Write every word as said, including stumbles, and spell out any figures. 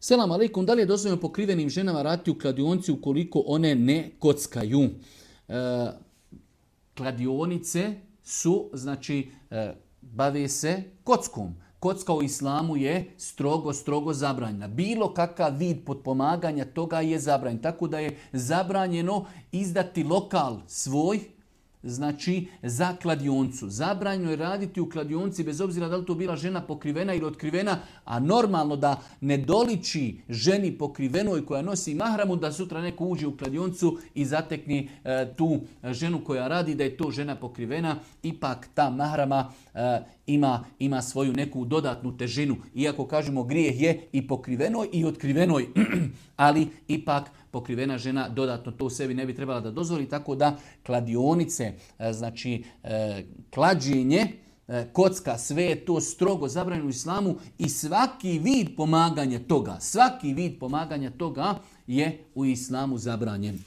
Selam alejkum, da li je dozvoljeno pokrivenim ženama raditi u kladionci ukoliko one ne kockaju? E, kladionice su, znači, e, bave se kockom. Kocka u islamu je strogo, strogo zabranjena. Bilo kakav vid potpomaganja toga je zabranjen. Tako da je zabranjeno izdati lokal svoj, znači za kladioncu. Zabranjeno je raditi u kladionci bez obzira da li to bila žena pokrivena ili otkrivena, a normalno da ne doliči ženi pokrivenoj koja nosi mahramu da sutra neko uđe u kladioncu i zatekne e, tu ženu koja radi da je to žena pokrivena. Ipak ta mahrama e, ima, ima svoju neku dodatnu težinu. Iako kažemo grijeh je i pokrivenoj i otkrivenoj, ali ipak pokrivena žena dodatno to u sebi ne bi trebala da dozvoli, tako da kladionice, znači klađenje, kocka, sve je to strogo zabranjeno u islamu i svaki vid pomaganja toga, svaki vid pomaganja toga je u islamu zabranjen.